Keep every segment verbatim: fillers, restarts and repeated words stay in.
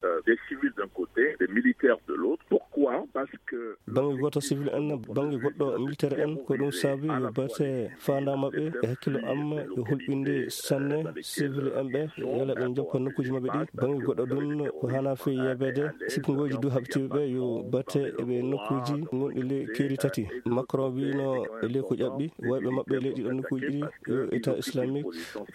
euh, des civils d'un côté, des militaires de l'autre. Pourquoi? Parce que bannge gooto civil en, bannge goɗɗo militaire en, ko ɗum saabi yo batte faandaa maɓɓe e hakkillo am yo hulɓinde sanne civil en ɓe, yala ɓe njoppa nokkuuji maɓɓe ɗi. Bannge goɗɗo ɗum ko hana fii yeebeede sippingooji du haɓitiiɓe ɓe yo batte e ɓe nokkuuji gonɗi ley keeri tati. Macron wiino e ley ko ƴaɓɓi wayɓe maɓɓe ley ɗiɗo nokkuuji ɗi yo État islamique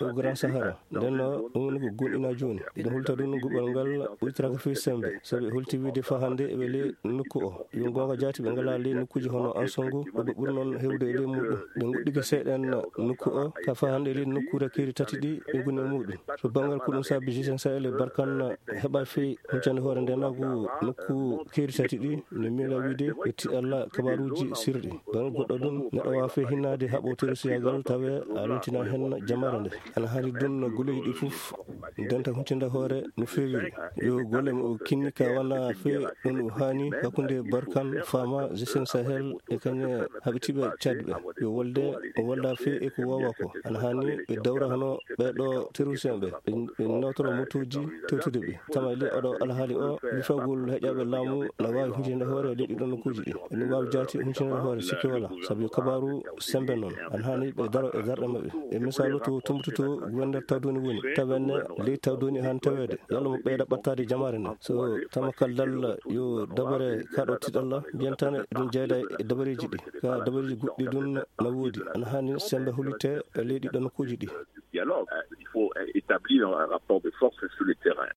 o Grand Sahara. Nden no ɗum woni ko gonɗina jooni. Ɗum hulta ɗum gubal ngal ɓuytiraka fii sembe. Sabi hulti wiide fa hannde ɓe ley nokku o. Yo goonga jaati ɓe ngalaa ley nokkuuji hono Ansongo, ɓe ɓuri noon heewde e ley muɗum. Ɓe nguɗɗike seeɗen nokku o, ka fa hannde ley nokkuure keeri tati ɗi ɓe ngoni e muɗum. So banngal ko ɗum saabi G cinq Sahel e Barkan heɓa fii huncande hoore ndenaagu nokku keeri tati ɗi, no miila wiide yetti Allah kabaruuji sirɗi. Banngal goɗɗo ɗum, neɗɗo waawa fii hinnaade haɓo terroriste yaagal tawe a leltina heen jamaare nde. Ana haani ɗum no goleeji ɗi fof ndenta huncinde hoore no feewiri. Yo golle mo o kinni ka wana fii ɗum o haani hakkunde Barkan Fama, G cinq Sahel e kañe haɓitiiɓe Tchad ɓe. Yo wolde o wolda fii e ko wawa ko. Ana haani ɓe dawra hono ɓee ɗo terroriste ɓe. Ɓe, ɓe nawtora motuuji tewtude ɓe. Tama e ley oɗo alhaali o, lifagol heƴaaɓe laamu na waawi huncinde hoore ley ɗiɗo nokkuuji ɗi. Ene waawi jaati huncinde hoore sikke wala. Sabi kabaaru sembe noon. Ana haani ɓe daro e darɗe maɓɓe. E misaalu to Tumbutu to wonde Tawdoni woni. Tawenne ley Tawdoni han taweede. Yalla mo ɓeyda ɓattaade jamaare nde. So tama kal dalla yo dabare kaɗo tiɗalla, jentane ɗum jeyda e dabareeji ɗi. Ka dabareeji goɗɗi ɗum na woodi. Ana haani sembe hulite e ley ɗiɗo nokkuuji ɗi. Dialogue. Euh, il faut, euh, établir un rapport de force sur le terrain.